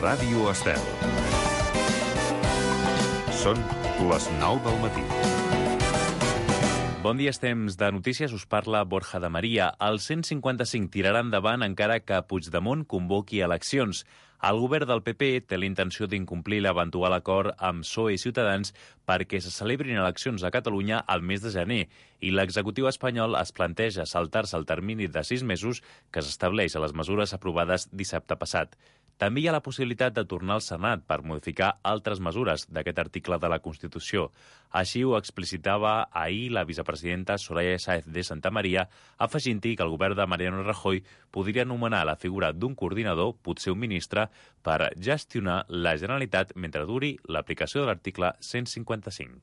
Ràdio Estel. Són les 9 del matí. Bon dia, temps de notícies, us parla Borja de Maria. El 155 tirarà endavant encara que Puigdemont convoqui eleccions. El govern del PP té la intenció d'incomplir l'eventual acord amb PSOE i Ciutadans perquè se celebrin eleccions a Catalunya al mes de gener i l'executiu espanyol es planteja saltar-se el termini de 6 mesos que s'estableix a les mesures aprovades dissabte passat. També hi ha la possibilitat de tornar al Senat per modificar altres mesures d'aquest article de la Constitució. Així ho explicitava ahir la vicepresidenta Soraya Sáenz de Santamaría, afegint-hi que el govern de Mariano Rajoy podria anomenar la figura d'un coordinador, potser un ministre, per gestionar la Generalitat mentre duri l'aplicació de l'article 155.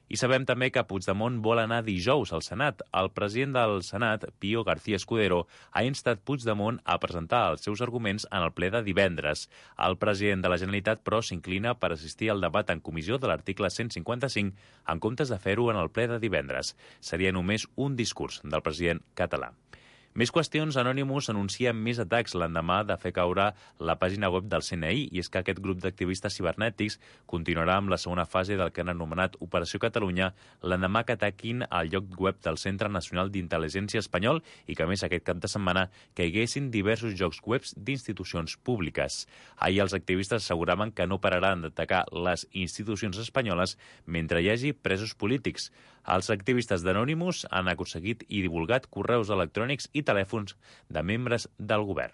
I sabem també que Puigdemont vol anar dijous al Senat. El president del Senat, Pío García Escudero, ha instat Puigdemont a presentar els seus arguments en el ple de divendres. El president de la Generalitat, però, s'inclina per assistir al debat en comissió de l'article 155 en comptes de fer-ho en el ple de divendres. Seria només un discurs del president català. Més qüestions. Anonymous anuncia més atacs l'endemà de fer caure la pàgina web del CNI, i és que aquest grup d'activistes cibernètics continuarà amb la segona fase del que han anomenat Operació Catalunya l'endemà que ataquin el lloc web del Centre Nacional d'Intel·ligència Espanyol i que, a més, aquest cap de setmana caiguessin diversos llocs web d'institucions públiques. Ahir els activistes asseguraven que no pararan d'atacar les institucions espanyoles mentre hi hagi presos polítics. Els activistes d'Anonymous han aconseguit i divulgat correus electrònics i telèfons de membres del govern.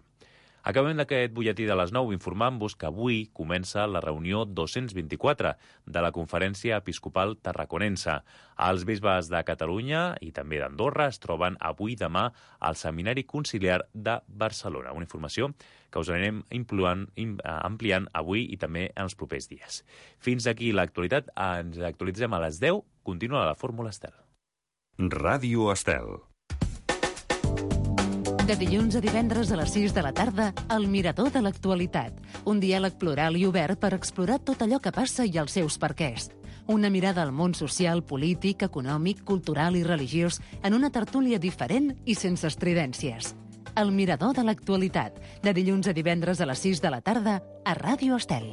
Acabem d'aquest butlletí de les 9 informant-vos que avui comença la reunió 224 de la Conferència Episcopal Tarraconense. Els bisbes de Catalunya i també d'Andorra es troben avui i demà al Seminari Conciliar de Barcelona. Una informació que us anirem ampliant avui i també en els propers dies. Fins aquí l'actualitat. Ens actualitzem a les 10. Continua la Fórmula Estel. Ràdio Estel. De dilluns a divendres a les 6 de la tarda, El Mirador de l'Actualitat. Un diàleg plural i obert per explorar tot allò que passa i els seus perquès. Una mirada al món social, polític, econòmic, cultural i religiós en una tertúlia diferent i sense estridències. El Mirador de l'Actualitat. De dilluns a divendres a les 6 de la tarda a Ràdio Estel.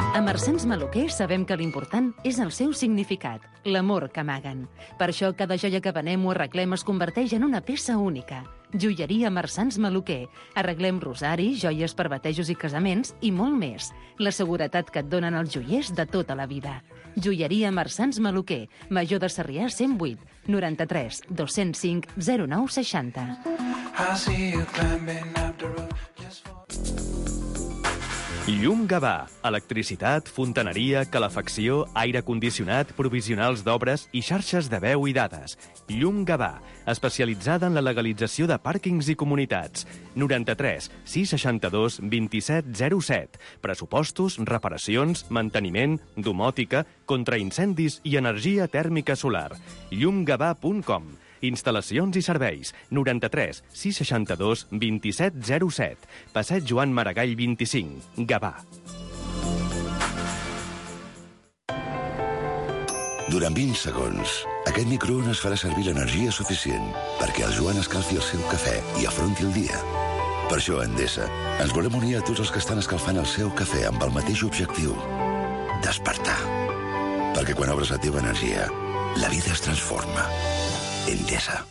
A Marsans Maluquer sabem que l'important és el seu significat, l'amor que amaguen. Per això cada joia que venem o arreglem es converteix en una peça única. Joieria Marsans Maluquer. Arreglem rosaris, joies per batejos i casaments i molt més. La seguretat que et donen els joiers de tota la vida. Joieria Marsans Maluquer. Major de Sarrià 108 93 205 0960. Llum Gavà. Electricitat, fontaneria, calefacció, aire condicionat, provisionals d'obres i xarxes de veu i dades. Llum Gavà, especialitzada en la legalització de pàrquings i comunitats. 93 662 27 07. Pressupostos, reparacions, manteniment, domòtica, contraincendis i energia tèrmica solar. llumgavà.com. Instal·lacions i serveis. 93 662 27 07. Passeig Joan Maragall 25. Gavà. Durant 20 segons, aquest microones farà servir l'energia suficient perquè el Joan escalfi el seu cafè i afronti el dia. Per això, a Endesa, ens volem unir a tots els que estan escalfant el seu cafè amb el mateix objectiu: despertar. Perquè quan obres la teva energia, la vida es transforma. Endesa.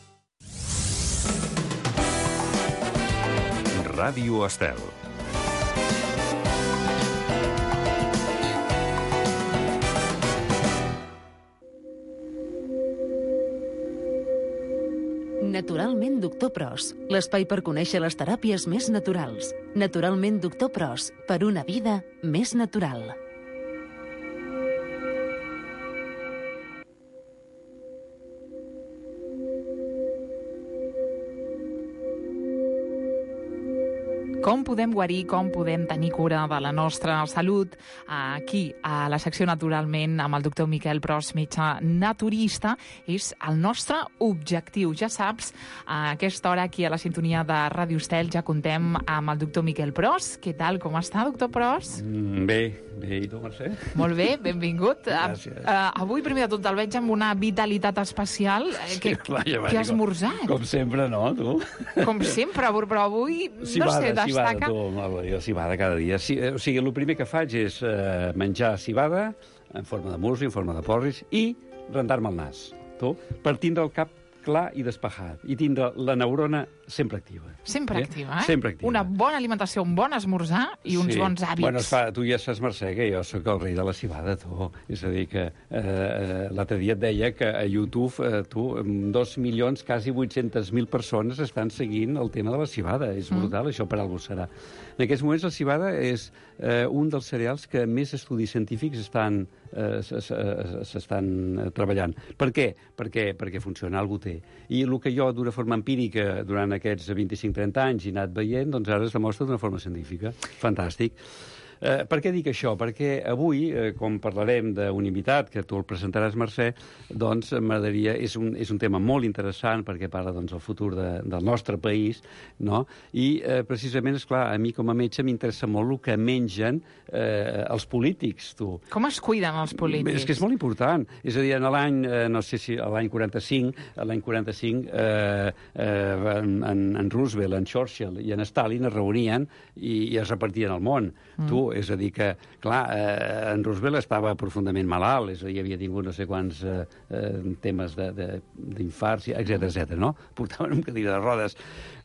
Ràdio Estel. Naturalment Doctor Pros, l'espai per conèixer les teràpies més naturals. Naturalment Doctor Pros, per una vida més natural. Com podem guarir, com podem tenir cura de la nostra salut, aquí, a la secció Naturalment, amb el doctor Miquel Pros, metge naturista, és el nostre objectiu. Ja saps, a aquesta hora aquí a la sintonia de Ràdio Estel ja contem amb el doctor Miquel Pros. Què tal, com està, doctor Pros? Bé, i tu, Mercè? Molt bé, benvingut. Gràcies. Avui, primer de tot, el veig amb una vitalitat especial. Què has esmorzat? Com sempre, no, tu? Com sempre, però avui, Cibada, cibada cada dia. O sigui, el primer que faig és menjar cibada en forma de musli, en forma de porris, i rentar-me el nas, tu, per tindre el cap clar i despejat, i tindre la neurona sempre activa. Sempre activa, eh? Sempre activa. Una bona alimentació, un bon esmorzar i uns bons hàbits. Bueno, tu ja saps, Mercè, que jo sóc el rei de la cibada, tu. És a dir, que l'altre dia et deia que a YouTube, 2 milions, quasi 800.000 persones estan seguint el tema de la cibada. És brutal, això per algú serà. En aquests moments la cibada és un dels cereals que més estudis científics s'estan treballant. Per què? Perquè funciona, algú té. I el que jo, d'una forma empírica, durant aquests 25-30 anys he anat veient, doncs ara es demostra d'una forma científica. Fantàstic. Per què dic això? Perquè avui, com parlarem d'un invitat, que tu el presentaràs, Mercè, doncs m'agradaria... És un tema molt interessant perquè parla del futur del nostre país, no? I precisament, esclar, a mi com a metge m'interessa molt el que mengen els polítics, tu. Com es cuiden els polítics? És que és molt important. És a dir, en l'any, no sé si l'any 45, en Roosevelt, en Churchill i en Stalin es reunien i es repartien el món. Tu, és a dir que, clar, en Roosevelt estava profundament malalt, és a dir, havia tingut no sé quants temes d'infarts, etc, no? Portaven un cadira de rodes.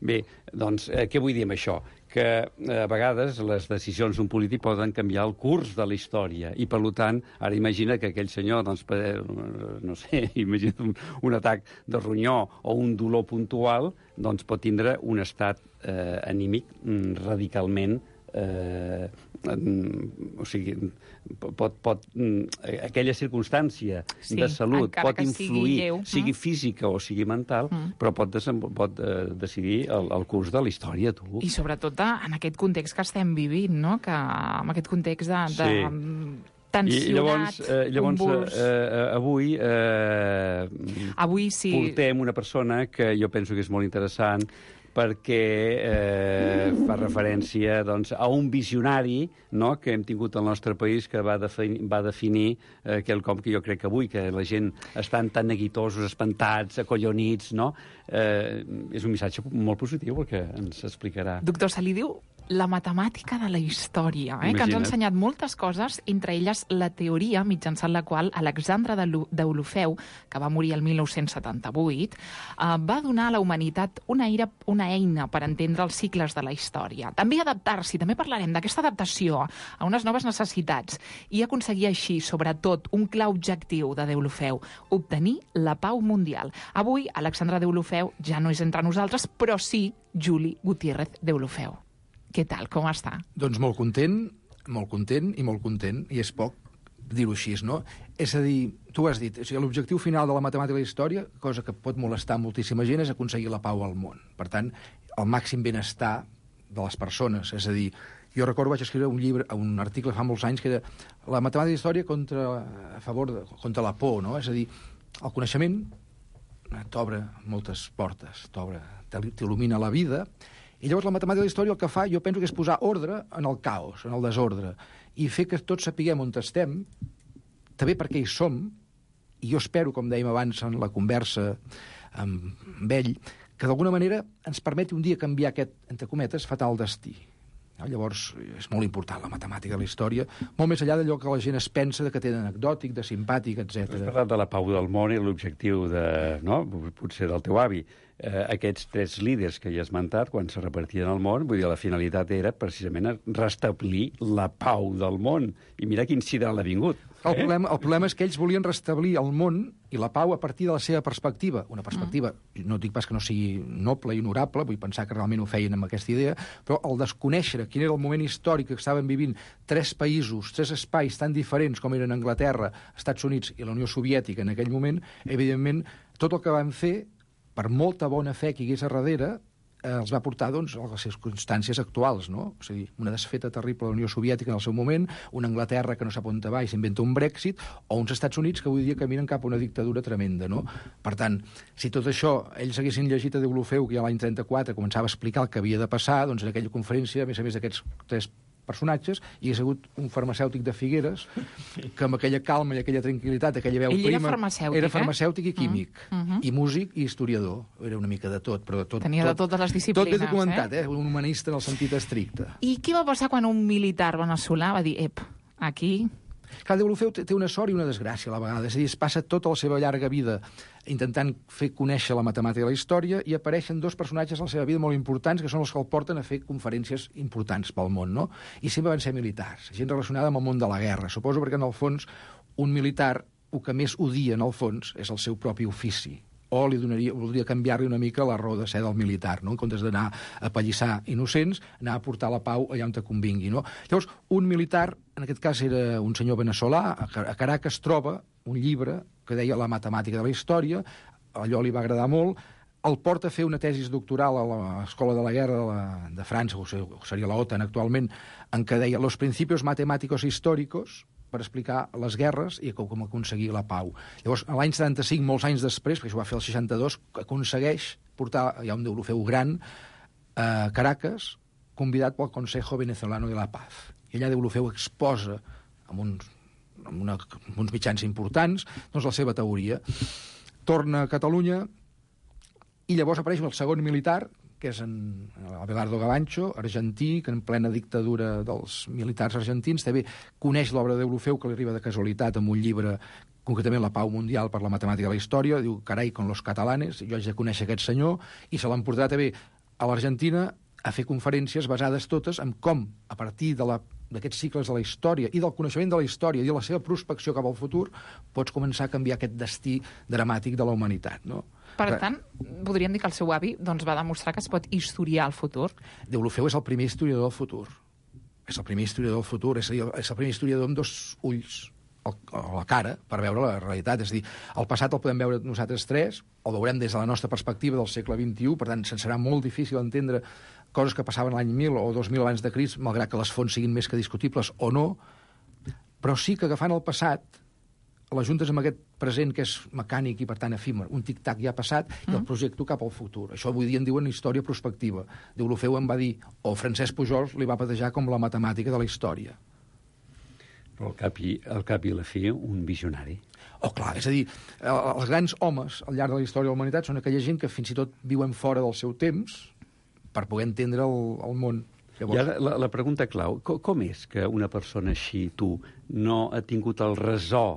Bé, doncs, què vull dir amb això? Que a vegades les decisions d'un polític poden canviar el curs de la història i, per tant, ara imagina que aquell senyor, doncs, no sé, imagina un atac de ronyó o un dolor puntual, doncs pot tindre un estat anímic radicalment o sigui, aquella circumstància de salut pot influir, sigui física o sigui mental, però pot decidir el curs de la història, tu. I sobretot en aquest context que estem vivint, no? Que en aquest context de tensionat, llavors avui sí. Portem una persona que jo penso que és molt interessant perquè fa referència a un visionari, no?, que hem tingut al nostre país, que va definir quelcom que jo crec que avui, que la gent estan tan neguitosos, espantats, acollonits, no? És un missatge molt positiu el que ens explicarà. Doctor, se li diu la matemàtica de la història, que ens ha ensenyat moltes coses, entre elles la teoria mitjançant la qual Alexandre Deulofeu, que va morir el 1978, va donar a la humanitat una eina per entendre els cicles de la història. També adaptar-s'hi, també parlarem d'aquesta adaptació a unes noves necessitats i aconseguir així, sobretot, un clar objectiu de Deulofeu, obtenir la pau mundial. Avui, Alexandre Deulofeu ja no és entre nosaltres, però sí Juli Gutiérrez Deulofeu. Què tal, com està? Doncs molt content, i és poc dir-ho així, no? És a dir, tu ho has dit, l'objectiu final de la matemàtica i la història, cosa que pot molestar moltíssima gent, és aconseguir la pau al món. Per tant, el màxim benestar de les persones. És a dir, jo recordo vaig escriure un article fa molts anys que era la matemàtica i la història contra la por, no? És a dir, el coneixement t'obre moltes portes, t'il·lumina la vida. I llavors la matemàtica de la història el que fa, jo penso que és posar ordre en el caos, en el desordre, i fer que tots sapiguem on estem, també perquè hi som, i jo espero, com dèiem abans en la conversa amb ell, que d'alguna manera ens permeti un dia canviar aquest, entre cometes, fatal destí. Llavors, és molt important la matemàtica de la història, molt més enllà d'allò que la gent es pensa que té d'anecdòtic, de simpàtic, etc. Has parlat de la pau del món i l'objectiu potser del teu avi. Aquests 3 líders que hi has esmentat, quan se repartien al món, vull dir, la finalitat era precisament restablir la pau del món. I mira quin sidral ha vingut. El problema és que ells volien restablir el món i la pau a partir de la seva perspectiva. Una perspectiva, no dic pas que no sigui noble i honorable, vull pensar que realment ho feien amb aquesta idea, però el desconèixer quin era el moment històric que estaven vivint 3 països, 3 espais tan diferents com eren Anglaterra, Estats Units i la Unió Soviètica en aquell moment, evidentment, tot el que van fer, per molta bona fe que hi hagués a darrere, els va portar doncs, a les circumstàncies actuals, no? És a dir, una desfeta terrible de la Unió Soviètica en el seu moment, una Anglaterra que no sap on va i s'inventa un Brexit, o uns Estats Units que avui dia caminen cap a una dictadura tremenda, no? Per tant, si tot això ells haguessin llegit a Deulofeu, que ja l'any 34 començava a explicar el que havia de passar, doncs en aquella conferència, a més d'aquests 3 personatges, hi hagués hagut un farmacèutic de Figueres que amb aquella calma i aquella tranquil·litat, aquella veu prima... Ell era farmacèutic, era farmacèutic i químic, i músic i historiador. Era una mica de tot, però de tot... Tenia de totes les disciplines, tot ben documentat, un humanista en el sentit estricte. I què va passar quan un militar veneçolà va dir, aquí... Clar, Deulofeu té una sort i una desgràcia a la vegada. És a dir, es passa tota la seva llarga vida intentant fer conèixer la matemàtica i la història i apareixen 2 personatges a la seva vida molt importants que són els que el porten a fer conferències importants pel món, no? I sempre van ser militars, gent relacionada amb el món de la guerra. Suposo perquè, en el fons, un militar, el que més odia, en el fons, és el seu propi ofici. O voldria canviar-li una mica la raó de ser del militar, no? En comptes d'anar a pallissar innocents, anar a portar la pau allà on te convingui, no? Llavors, un militar, en aquest cas era un senyor veneçolà, a Caracas troba un llibre que deia La matemàtica de la història, allò li va agradar molt, el porta a fer una tesis doctoral a l'Escola de la Guerra de França, o seria la OTAN actualment, en què deia Los principios matemáticos históricos, per explicar les guerres i com aconseguir la pau. Llavors, l'any 75, molts anys després, perquè això ho va fer el 62, aconsegueix portar, hi ha un Deulofeu gran, a Caracas, convidat pel Consejo Venezolano de la Paz. I allà Deulofeu exposa amb uns mitjans importants doncs la seva teoria. Torna a Catalunya i llavors apareix el segon militar, que és Abelardo Gavancho, argentí, que en plena dictadura dels militars argentins també coneix l'obra de Deulofeu, que li arriba de casualitat amb un llibre, concretament La Pau Mundial per la Matemàtica de la Història, diu, carai, con los catalanes, jo haig de conèixer aquest senyor, i se l'han portat també a l'Argentina a fer conferències basades totes en com, a partir d'aquests cicles de la història i del coneixement de la història i de la seva prospecció cap al futur, pots començar a canviar aquest destí dramàtic de la humanitat, no? Per tant, podríem dir que el seu avi va demostrar que es pot historiar el futur. Deulofeu és el primer historiador del futur. És el primer historiador del futur, és el primer historiador amb 2 ulls a la cara per veure la realitat. És a dir, el passat el podem veure nosaltres 3, el veurem des de la nostra perspectiva del segle XXI, per tant, se'n serà molt difícil entendre coses que passaven l'any 1000 o 2000 abans de Crist, malgrat que les fonts siguin més que discutibles o no, però sí que agafant el passat l'ajuntes amb aquest present que és mecànic i, per tant, efímer. Un tic-tac ja ha passat i el projecto cap al futur. Això avui dia en diuen història prospectiva. Deulofeu em va dir, o Francesc Pujols li va batejar com la matemàtica de la història. Però al cap i la fi, un visionari. Oh, clar, és a dir, els grans homes al llarg de la història de la humanitat són aquella gent que fins i tot viuen fora del seu temps per poder entendre el món. Llavors... I ara la pregunta clau, com és que una persona així, tu, no ha tingut el ressò?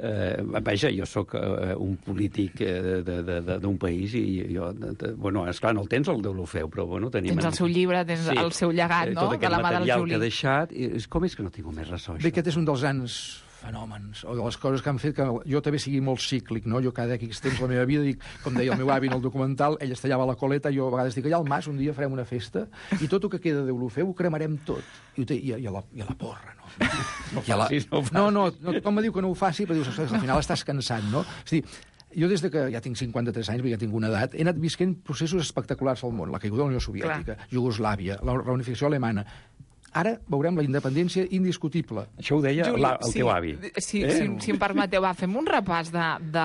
Vaja, jo sóc un polític d'un país i jo, bueno, esclar, no el tens el Deulofeu, però bueno, tenim... Tens el seu llibre, tens el seu llegat, no?, de la mà del Juli. Tot aquest material que ha deixat, com és que no tinc més ressò, això? Bé, aquest és un dels grans fenòmens, o de les coses que han fet que jo també sigui molt cíclic, no? Jo cada X temps la meva vida, dic, com deia el meu avi en el documental, ell es tallava la coleta, jo a vegades dic, allà al Mas un dia farem una festa i tot el que queda de Deulofeu ho cremarem tot. I a la porra, no? No facis. No, tothom me diu que no ho faci, però dius, al final estàs cansat, no? És a dir, jo des que ja tinc 53 anys, ja tinc una edat, he anat visquent processos espectaculars al món, la caiguda de la Unió Soviètica, Iugoslàvia, la reunificació alemana. Ara veurem la independència indiscutible. Això ho deia el teu avi. Si em permeteu, fem un repàs de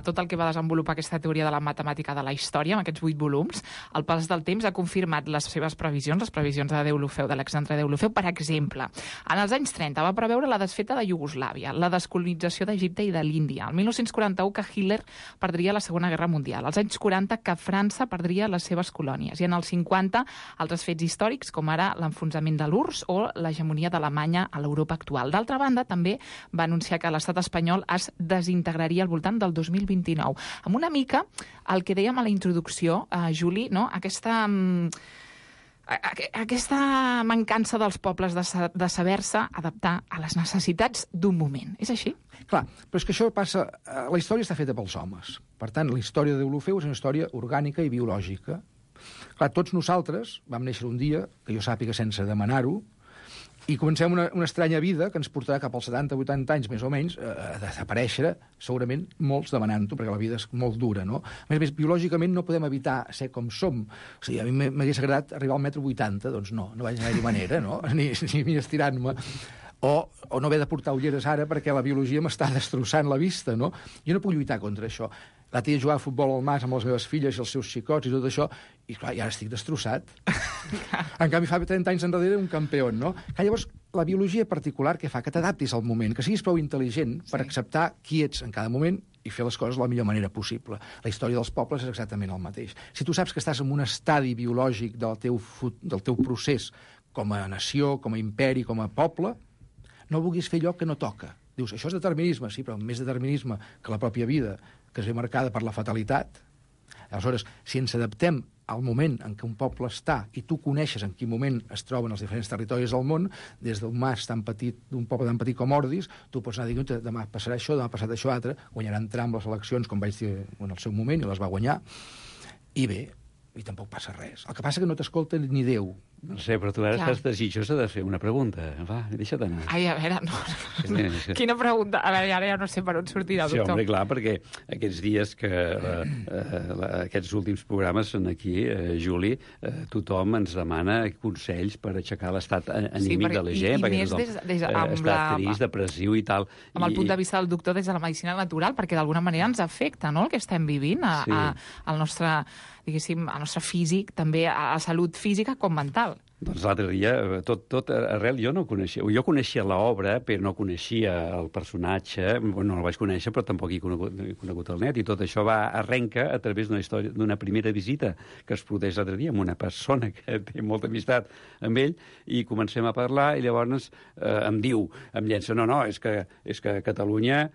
tot el que va desenvolupar aquesta teoria de la matemàtica de la història, amb aquests 8 volums. El pas del temps ha confirmat les seves previsions, les previsions de Deulofeu, d'Alexandre Deulofeu. Per exemple, en els anys 30 va preveure la desfeta de Iugoslàvia, la descolonització d'Egipte i de l'Índia. El 1941 que Hitler perdria la Segona Guerra Mundial. Als anys 40 que França perdria les seves colònies. I en els 50 altres fets històrics, com ara l'enfonsament de l'URSS o l'hegemonia d'Alemanya a l'Europa actual. D'altra banda, també va anunciar que l'estat espanyol es desintegraria al voltant del 2029. Amb una mica el que dèiem a la introducció, Juli, no? Aquesta mancança dels pobles de saber-se adaptar a les necessitats d'un moment. És així? Clar, però és que això passa... La història està feta pels homes. Per tant, la història de Deulofeu és una història orgànica i biològica. Clar, tots nosaltres vam néixer un dia, que jo sàpiga sense demanar-ho, I comencem una estranya vida que ens portarà cap als 70-80 anys, més o menys, a desaparèixer, segurament molts demanant-ho, perquè la vida és molt dura, no? A més, biològicament no podem evitar ser com som. O sigui, a mi m'hagués agradat arribar al 1,80 m, doncs no vaig anar-hi manera, no? Ni estirant-me. O no haver de portar ulleres ara perquè la biologia m'està destrossant la vista, no? Jo no puc lluitar contra això. L'altre dia jugava a futbol al Mas amb les meves filles i els seus xicots i tot això, i clar, ja estic destrossat. En canvi, fa 30 anys enrere un campió, no? Que llavors, la biologia particular que fa que t'adaptis al moment, que siguis prou intel·ligent per acceptar qui ets en cada moment i fer les coses de la millor manera possible. La història dels pobles és exactament el mateix. Si tu saps que estàs en un estadi biològic del teu procés com a nació, com a imperi, com a poble, no vulguis fer allò que no toca. Dius, això és determinisme, sí, però més determinisme que la pròpia vida, que es ve marcada per la fatalitat. Aleshores, si ens adaptem al moment en què un poble està i tu coneixes en quin moment es troben els diferents territoris del món, des d'un mas tan petit, d'un poble tan petit com Ordis, tu pots anar dient, demà passarà això, demà passarà això altre, guanyaran Trump les eleccions, com vaig dir en el seu moment, i les va guanyar, i bé, i tampoc passa res. El que passa que no t'escolta ni Déu. No sé, però tu ara estàs desitjosa de fer una pregunta. Va, deixa't anar. Ai, a veure, no. Quina pregunta? A veure, ara ja no sé per on sortirà, doctor. Sí, home, clar, perquè aquests dies que aquests últims programes són aquí, Juli, tothom ens demana consells per aixecar l'estat anímic de la gent, perquè tothom està trist, depressiu i tal. Amb el punt de vista del doctor des de la medicina natural, perquè d'alguna manera ens afecta, no?, el que estem vivint al nostre, diguéssim, al nostre físic, també a la salut física com mental. Doncs l'altre dia, tot arrel, jo no coneixia... Jo coneixia l'obra, però no coneixia el personatge, no el vaig conèixer, però tampoc he conegut el net, i tot això va arrenca a través d'una història, d'una primera visita que es produeix l'altre dia amb una persona que té molta amistat amb ell, i comencem a parlar, i llavors em diu, em llença, no, és que Catalunya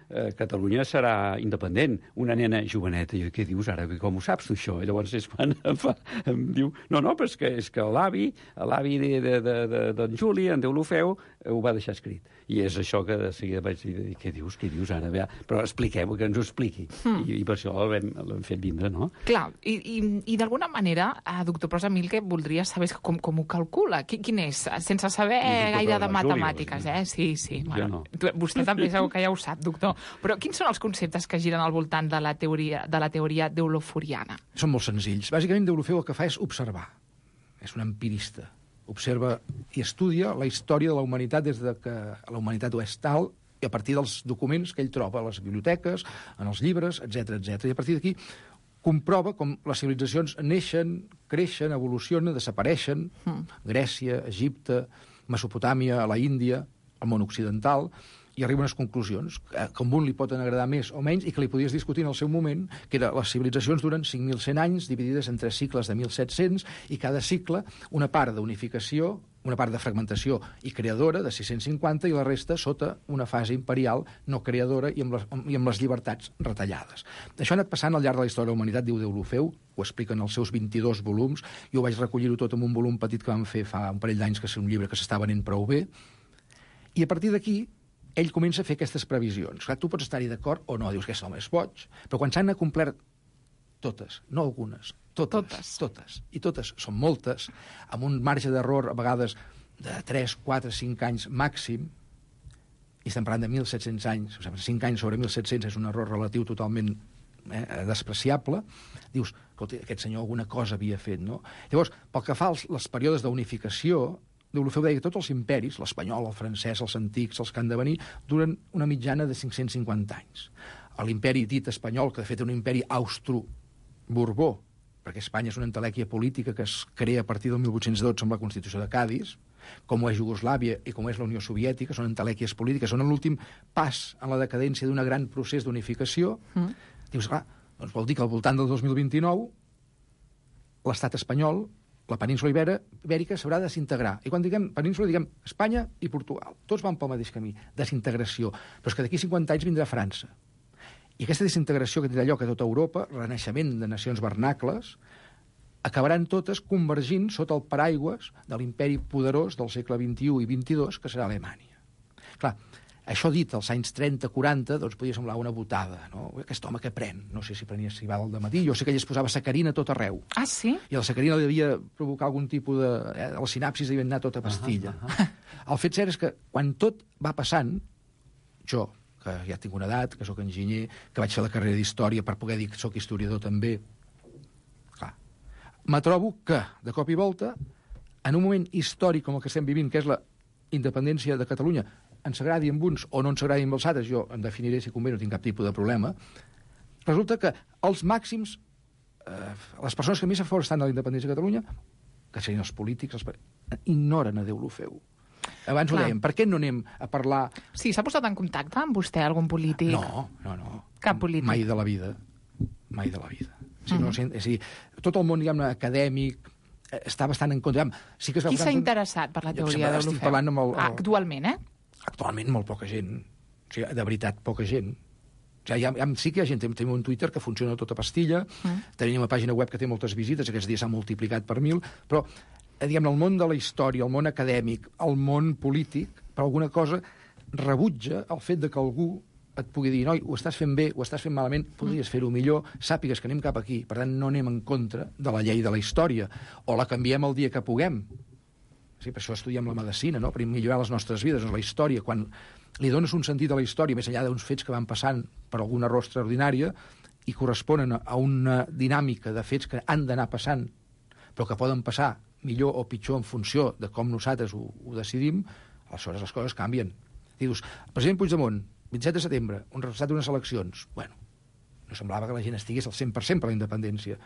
serà independent, una nena joveneta. I jo, què dius ara? Com ho saps, tu, això? I llavors és quan em diu, no, però és que l'avi d'en Juli, en Deulofeu, ho va deixar escrit. I és això que de seguida vaig dir, què dius ara? Però expliquem, que ens ho expliqui. I per això l'hem fet vindre, no? Clar, i d'alguna manera, doctor Pros, a mi el que voldria saber és com ho calcula. Quin és? Sense saber gaire de matemàtiques, Sí. Bueno, vostè també segur que ja ho sap, doctor. Però quins són els conceptes que giren al voltant de la teoria deuloforiana? Són molt senzills. Bàsicament, Deulofeu el que fa és observar. És un empirista. Observa i estudia la història de la humanitat des de que la humanitat ho és tal, i a partir dels documents que ell troba a les biblioteques, en els llibres, etc. I a partir d'aquí comprova com les civilitzacions neixen, creixen, evolucionen, desapareixen. Grècia, Egipte, Mesopotàmia, la Índia, el món occidental, i arriba a unes conclusions que a un li poden agradar més o menys i que li podies discutir en el seu moment, que era les civilitzacions duren 5.100 anys dividides en 3 cicles de 1.700 i cada cicle una part d'unificació, una part de fragmentació i creadora de 650 i la resta sota una fase imperial no creadora i amb les llibertats retallades. Això ha anat passant al llarg de la història de la humanitat, diu Deulofeu, ho explica en els seus 22 volums, jo vaig recollir-ho tot en un volum petit que vam fer fa un parell d'anys, que és un llibre que s'està venent prou bé, i a partir d'aquí ell comença a fer aquestes previsions. Clar, tu pots estar-hi d'acord o no, dius que aquest home és boig, però quan s'han acomplert totes, no algunes, totes, i totes són moltes, amb un marge d'error a vegades de 3, 4, 5 anys màxim, i estem parlant de 1.700 anys, o sigui, 5 anys sobre 1.700 és un error relatiu totalment despreciable, dius, escolta, aquest senyor alguna cosa havia fet, no? Llavors, pel que fa als períodes d'unificació, Deulofeu deia que tots els imperis, l'espanyol, el francès, els antics, els que han de venir, duren una mitjana de 550 anys. L'imperi dit espanyol, que de fet és un imperi austro-borbó, perquè Espanya és una entelèquia política que es crea a partir del 1812 amb la Constitució de Cadis, com ho és Iugoslàvia i com ho és la Unió Soviètica, són entelèquies polítiques, són l'últim pas en la decadència d'un gran procés d'unificació. Dius, clar, doncs vol dir que al voltant del 2029 l'estat espanyol, la península ibèrica s'haurà de desintegrar. I quan diguem península, diguem Espanya i Portugal. Tots van pel mateix camí, desintegració. Però és que d'aquí 50 anys vindrà França. I aquesta desintegració que tindrà lloc a tota Europa, renaixement de nacions vernacles, acabaran totes convergint sota el paraigües de l'imperi poderós del segle XXI i XXII, que serà Alemanya. Clar, Això dit als anys 30-40, doncs podia semblar una botada, no? Aquest home que pren, no sé si prenia cibada al dematí, jo sé que ell es posava sacarina a tot arreu. Ah, sí? I la sacarina li devia provocar algun tipus de... la sinapsis devia anar tota pastilla. El fet cert és que quan tot va passant, jo, que ja tinc una edat, que sóc enginyer, que vaig fer la carrera d'història per poder dir que sóc historiador també, clar, me trobo que, de cop i volta, en un moment històric com el que estem vivint, que és la independència de Catalunya, ens agradi amb uns o no ens agradi amb els altres, jo em definiré si convé, no tinc cap tipus de problema, resulta que els màxims, les persones que més a favor estan de la independència de Catalunya, que serien els polítics, ignoren a Déu lo feu. Abans ho dèiem, per què no anem a parlar... Sí, s'ha posat en contacte amb vostè, algun polític? No. Cap polític? Mai de la vida. Mai de la vida. És a dir, tot el món, diguem-ne, acadèmic, està bastant en contra. Sí que qui s'ha interessat per la teoria de l'Ofeu? Estic parlant amb Actualment, Actualment molt poca gent. O sigui, de veritat, poca gent. O sigui, sí que hi ha gent. Tenim un Twitter que funciona tota pastilla, tenim una pàgina web que té moltes visites, aquests dies s'ha multiplicat per 1000, però, diguem-ne, el món de la història, el món acadèmic, el món polític, per alguna cosa, rebutja el fet de que algú et pugui dir, noi, ho estàs fent bé, ho estàs fent malament, podries fer-ho millor, sàpigues que anem cap aquí, per tant, no anem en contra de la llei de la història, o la canviem el dia que puguem. Sí, per això estudiem la medicina, no? Per millorar les nostres vides. La història, quan li dones un sentit a la història, més enllà d'uns fets que van passant per alguna raó extraordinària i corresponen a una dinàmica de fets que han d'anar passant, però que poden passar millor o pitjor en funció de com nosaltres ho decidim, aleshores les coses canvien. Dius, el president Puigdemont, 27 de setembre, un resultat d'unes eleccions. Bueno, no semblava que la gent estigués al 100% per la independència.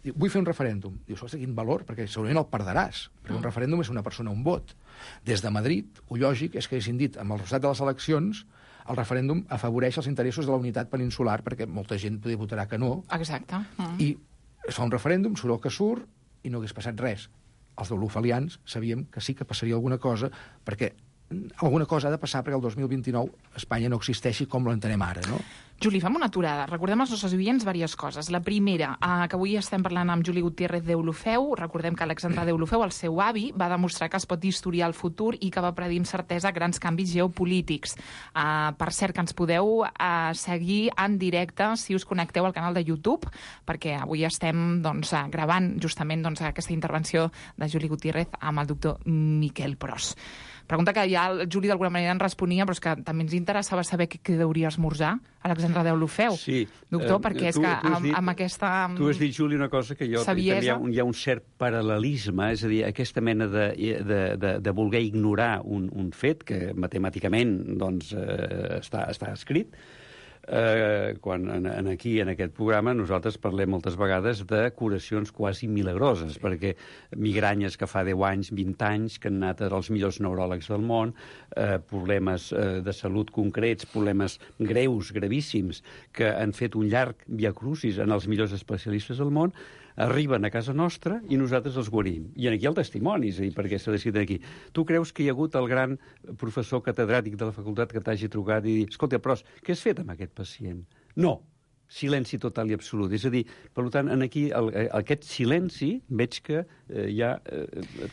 Diu, vull fer un referèndum. Dius, ostres, quin valor, perquè segurament el perdràs, perquè un referèndum és una persona, un vot. Des de Madrid, ho lògic és que haguessin dit, amb el resultat de les eleccions, el referèndum afavoreix els interessos de la unitat peninsular, perquè molta gent votarà que no. Exacte. I es fa un referèndum, surt el que surt, i no hagués passat res. Els d'olofalians sabíem que sí que passaria alguna cosa, perquè alguna cosa ha de passar perquè el 2029 Espanya no existeixi com l'entenem ara, no? Juli, fem una aturada. Recordem als nostres oients diverses coses. La primera, que avui estem parlant amb Juli Gutiérrez Deulofeu. Recordem que Alexandre Deulofeu, el seu avi, va demostrar que es pot historiar el futur i que va predir amb certesa grans canvis geopolítics. Per cert, que ens podeu seguir en directe si us connecteu al canal de YouTube, perquè avui estem gravant justament aquesta intervenció de Juli Gutiérrez amb el doctor Miquel Pros. Pregunta que ja el Juli d'alguna manera en responia, però és que també ens interessava saber què deuria esmorzar Alexandre Deulofeu. Sí. Doctor, perquè és que amb aquesta... Tu has dit, Juli, una cosa que jo... Saviesa. Hi ha un cert paral·lelisme, és a dir, aquesta mena de voler ignorar un fet que matemàticament està escrit. Quan aquí, en aquest programa, nosaltres parlem moltes vegades de curacions quasi milagroses, perquè migranyes que fa 10 anys, 20 anys, que han anat als millors neuròlegs del món, problemes de salut concrets, problemes greus, gravíssims, que han fet un llarg viacrucis en els millors especialistes del món, arriben a casa nostra i nosaltres els guarim. I aquí hi ha el testimoni, és a dir, perquè s'ha decidit aquí. Tu creus que hi ha hagut el gran professor catedràtic de la facultat que t'hagi trucat i dir, escolta, Pros, què has fet amb aquest pacient? No. Silenci total i absolut. És a dir, per tant, aquí aquest silenci veig que ja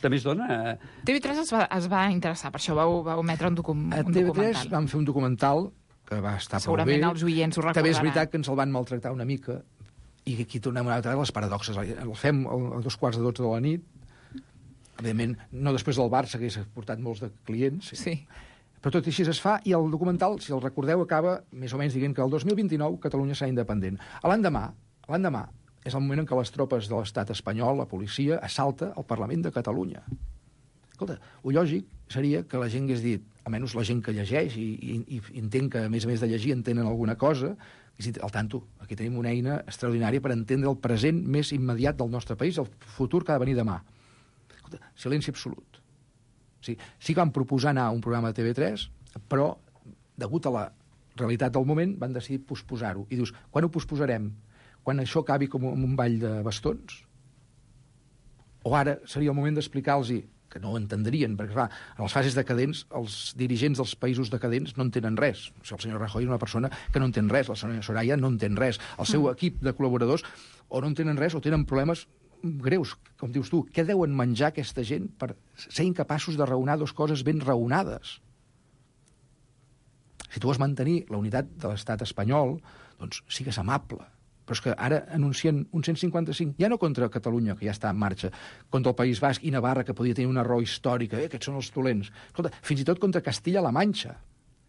també es dona... TV3 es va interessar, per això vau emetre un documental. A TV3 vam fer un documental que va estar prou bé. Segurament els oients ho recordaran. També és veritat que ens el van maltractar una mica, i aquí tornem una altra vegada les paradoxes. El fem a 2:15 de la nit, evidentment, no després del Barça, que hagués portat molts de clients, sí. Però tot i així es fa, i el documental, si el recordeu, acaba més o menys dient que el 2029 Catalunya serà independent. L'endemà és el moment en què les tropes de l'estat espanyol, la policia, assalta el Parlament de Catalunya. Escolta, el lògic seria que la gent hagués dit, almenys la gent que llegeix i entén que, a més de llegir, entenen alguna cosa, al tanto, aquí tenim una eina extraordinària per entendre el present més immediat del nostre país, el futur que ha de venir demà. Escolta, silenci absolut. Sí que van proposar anar a un programa de TV3, però, degut a la realitat del moment, van decidir posposar-ho. I dius, quan ho posposarem? Quan això acabi com un ball de bastons? O ara seria el moment d'explicar-los que no ho entendrien, perquè, clar, en les fases decadents, els dirigents dels països decadents no entenen res. O sigui, el senyor Rajoy és una persona que no entén res, la senyora Soraya no entén res, el seu equip de col·laboradors o no entenen res o tenen problemes greus, com dius tu. Què deuen menjar aquesta gent per ser incapaços de raonar dues coses ben raonades? Si tu vols mantenir la unitat de l'estat espanyol, doncs sigues amable. Però és que ara anuncien un 155, ja no contra Catalunya, que ja està en marxa, contra el País Basc i Navarra, que podia tenir una raó històrica, aquests són els dolents. Escolta, fins i tot contra Castilla-La Manxa.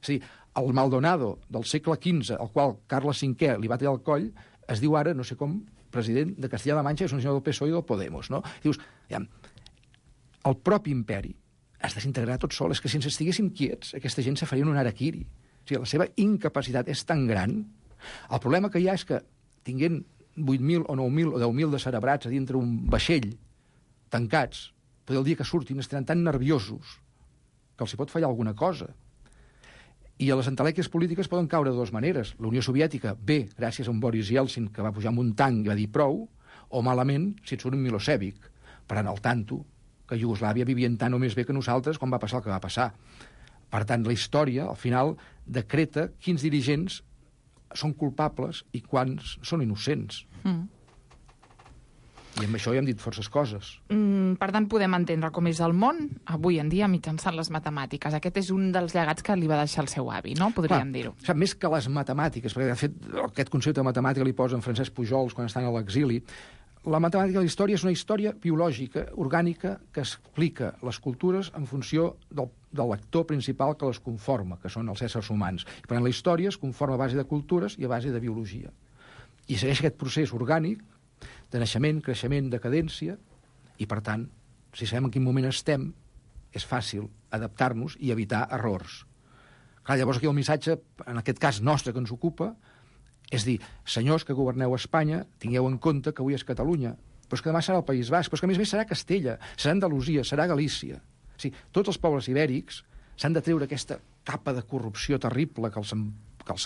És a dir, el Maldonado del segle XV, al qual Carles V li va tallar el coll, es diu ara, no sé com, president de Castilla-La Manxa, és un senyor del PSOE i del Podemos, no? I dius, ja, el propi imperi es desintegrarà tot sol. És que si ens estiguéssim quiets, aquesta gent se faria un harakiri. O sigui, la seva incapacitat és tan gran. El problema que hi ha és que tinguent 8.000 o 9.000 o 10.000 de cerebrats a dintre un vaixell tancats, el dia que surtin estaran tan nerviosos que els hi pot fallar alguna cosa. I a les entelèquies polítiques poden caure de dues maneres. La Unió Soviètica, bé, gràcies a un Boris Yeltsin que va pujar amb un tanc i va dir prou, o malament si et surt un Milosevic, parant al tanto que Iugoslàvia vivien tant o més bé que nosaltres quan va passar el que va passar. Per tant, la història, al final, decreta quins dirigents són culpables i quants són innocents. I amb això ja hem dit forces coses. Per tant, podem entendre com és el món avui en dia mitjançant les matemàtiques. Aquest és un dels llegats que li va deixar el seu avi, no? Podríem dir-ho. Més que les matemàtiques, perquè de fet aquest concepte de matemàtica li posa en Francesc Pujols quan estan a l'exili, la matemàtica de la història és una història biològica, orgànica, que explica les cultures en funció del lector principal que les conforma, que són els éssers humans. I per tant, la història es conforma a base de cultures i a base de biologia. I segueix aquest procés orgànic de naixement, creixement, decadència, i per tant, si sabem en quin moment estem, és fàcil adaptar-nos i evitar errors. Clar, llavors aquí el missatge, en aquest cas nostre que ens ocupa, és dir, senyors que governeu Espanya, tingueu en compte que avui és Catalunya, però és que demà serà el País Basc, però és que a més serà Castella, serà Andalusia, serà Galícia. O sigui, tots els pobles ibèrics s'han de treure aquesta capa de corrupció terrible que els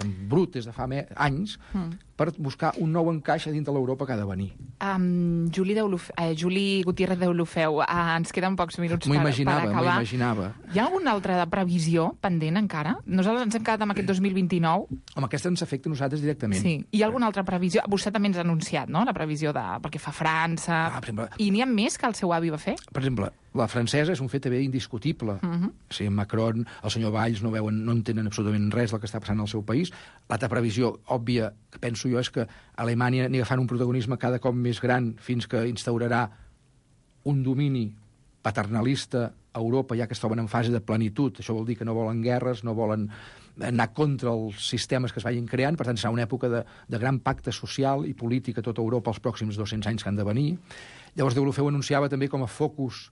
embrut des de fa anys per buscar un nou encaix a dintre de l'Europa que ha de venir. Juli Gutiérrez d'Olofeu, ens queden pocs minuts per acabar. M'ho imaginava. Hi ha alguna altra previsió pendent encara? Nosaltres ens hem quedat amb aquest 2029. Home, aquesta ens afecta a nosaltres directament. Sí. Hi ha alguna altra previsió? Vostè també ens ha anunciat, no?, la previsió perquè fa França. Per exemple, I n'hi ha més que el seu avi va fer? Per exemple, la francesa és un fet també indiscutible. O sigui, Macron, el senyor Valls no entenen absolutament res del que està passant al seu país. L'altra previsió òbvia que penso jo és que Alemanya anirà agafant un protagonisme cada cop més gran fins que instaurarà un domini paternalista a Europa, ja que es troben en fase de plenitud. Això vol dir que no volen guerres, no volen anar contra els sistemes que es vagin creant, per tant serà una època de gran pacte social i polític a tota Europa els pròxims 200 anys que han de venir. Llavors Deulofeu anunciava també com a focus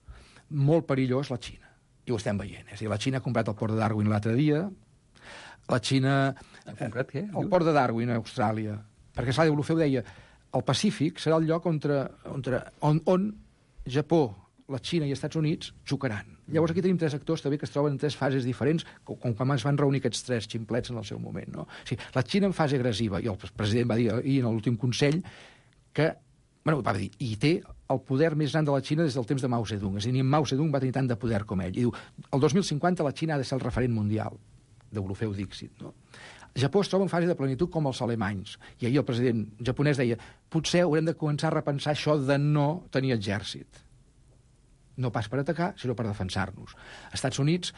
molt perillós la Xina. I ho estem veient. És a dir, la Xina ha comprat el port de Darwin l'altre dia, la Xina... Ha comprat què? El port de Darwin a Austràlia. Perquè, esclar, Deulofeu deia el Pacífic serà el lloc on Japó, la Xina i els Estats Units xocaran. Llavors aquí tenim tres actors també que es troben en tres fases diferents, com quan es van reunir aquests tres ximplets en el seu moment. No? O sigui, la Xina en fase agressiva, i el president va dir ahir en l'últim Consell que, va dir, i té el poder més gran de la Xina des del temps de Mao Zedong. És a dir, ni Mao Zedong va tenir tant de poder com ell. I diu, el 2050 la Xina ha de ser el referent mundial. Deulofeu Dixit, no? Japó es troba en fase de plenitud com els alemanys. I ahir el president japonès deia potser haurem de començar a repensar això de no tenir exèrcit. No pas per atacar, sinó per defensar-nos. Estats Units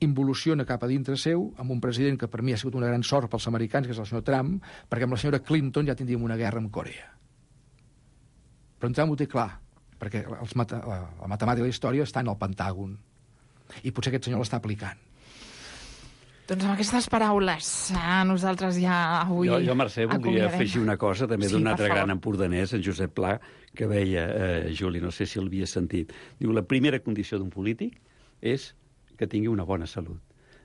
involuciona cap a dintre seu amb un president que per mi ha sigut una gran sort pels americans, que és el senyor Trump, perquè amb la senyora Clinton ja tindríem una guerra amb Corea. Però en Trump ho té clar, perquè la matemàtica i la història està en el Pentàgon. I potser aquest senyor l'està aplicant. Doncs amb aquestes paraules, nosaltres ja avui... Jo Mercè, voldria afegir una cosa, també d'un altre gran empordanès, en Josep Pla, que deia, Juli, no sé si l'havia sentit, diu, la primera condició d'un polític és que tingui una bona salut.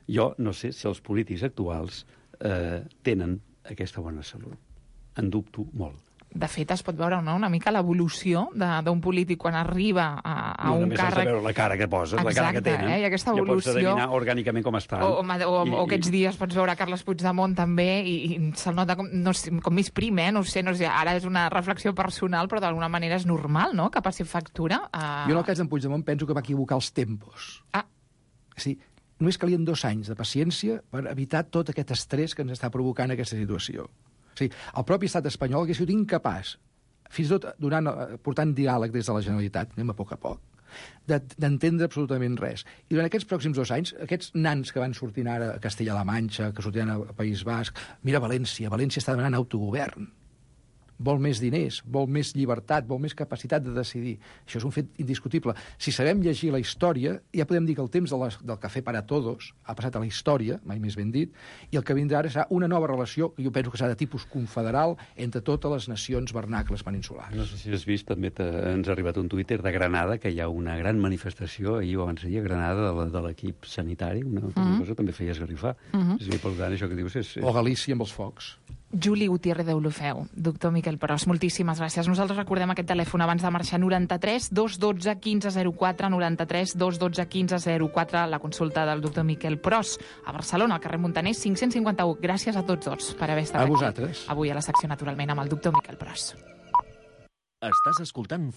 Jo no sé si els polítics actuals tenen aquesta bona salut. En dubto molt. De fet, es pot veure una mica l'evolució d'un polític quan arriba a un càrrec... Només veure la cara que posen, la cara que tenen. I aquesta evolució... Ja pots adivinar orgànicament com estan. O aquests dies pots veure Carles Puigdemont també i se'l nota com més prim, no sé, ara és una reflexió personal, però d'alguna manera és normal, no?, que passi factura. Jo en el cas d'en Puigdemont penso que va equivocar els tempos. És dir, només calien 2 anys de paciència per evitar tot aquest estrès que ens està provocant aquesta situació. O sigui, el propi estat espanyol hauria sigut incapaç, fins i tot portant diàleg des de la Generalitat, anem a poc, d'entendre absolutament res. I durant aquests pròxims 2 anys, aquests nans que van sortint ara a Castella-La Manxa, que sortiran a País Basc, mira València està demanant autogovern. Vol més diners, vol més llibertat, vol més capacitat de decidir. Això és un fet indiscutible. Si sabem llegir la història, ja podem dir que el temps del cafè para todos ha passat a la història, mai més ben dit, i el que vindrà ara serà una nova relació, que jo penso que serà de tipus confederal, entre totes les nacions vernacles peninsulars. No sé si has vist, també ens ha arribat un Twitter de Granada, que hi ha una gran manifestació, ahir ho abans a Granada, de l'equip sanitari, una cosa també feia esgarrifar. És a dir, per tant, això que dius és... O Galícia amb els focs. Juli Gutiérrez d'Olofeu, doctor Miquel Pros, moltíssimes gràcies. Nosaltres recordem aquest telèfon abans de marxar, 93 212 1504, 93 212 1504, la consulta del doctor Miquel Pros a Barcelona, al carrer Montaners 551. Gràcies a tots dos per haver estat aquí. A vosaltres. Avui a la secció, naturalment, amb el doctor Miquel Pros. Estàs escoltant